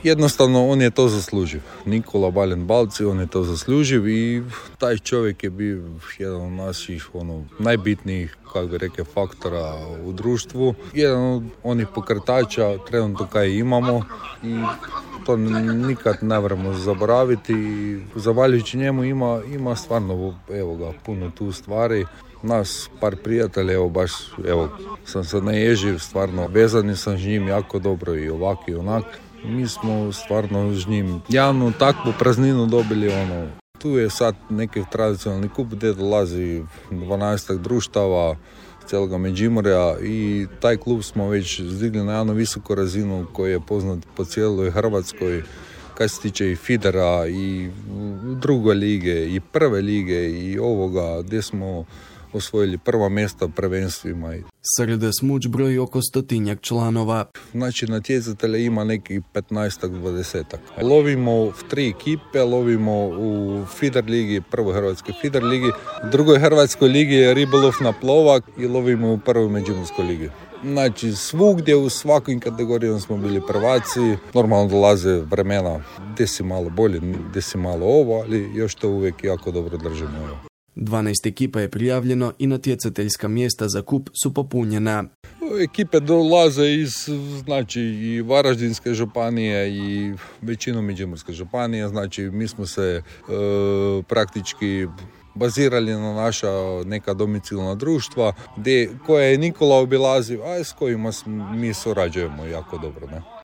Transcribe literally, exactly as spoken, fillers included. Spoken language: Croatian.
jednostavno on je to zasluživ. Nikola Baljen Balci, on je to zasluživ i taj čovjek je bio jedan od naših ono, najbitnijih, kako bi rekao, faktora u društvu. Jedan od onih pokretača trenutno kaj imamo i to nikad ne moramo zaboraviti. Zahvaljujući njemu ima, ima stvarno, evo ga, puno tu stvari. Nas par prijatelja, evo baš, evo, sam se naježio, stvarno vezani sam s njim jako dobro i ovak i onak. Mi smo stvarno s njim javnu takvu prazninu dobili, ono, tu je sad neki tradicionalni kup gdje dolazi dvanaest društava cijeloga Međimurja i taj klub smo već zdigli na jednu visoku razinu koji je poznat po cijeloj Hrvatskoj. Kaj se tiče i Fidera i druge lige i prve lige i ovoga gdje smo osvojili prva mjesta prvenstvima. Sreda Smuđ broji oko stotinjak članova. Znači natjecatelja ima nekih petnaest do dvadeset. Lovimo v tri ekipe, lovimo u Fider ligi, prvoj hrvatskoj Fider ligi, u drugoj hrvatskoj ligi je ribolov na plovak i lovimo u prvoj Međimurskoj ligi. Znači svugdje u svakim kategorijama smo bili prvaci. Normalno dolaze vremena gdje si malo bolje, gdje si malo ovo, ali još to uvijek jako dobro držimo. dvanaest ekipa je prijavljeno i natjecateljska mjesta za kup su popunjena. Ekipe dolaze iz znači, i Varaždinske županije i većinom Međimurske županije. Znači mi smo se e, praktički bazirali na naša neka domicilna društva gdje, koje je Nikola obilazio, a s kojima mi surađujemo jako dobro. Ne?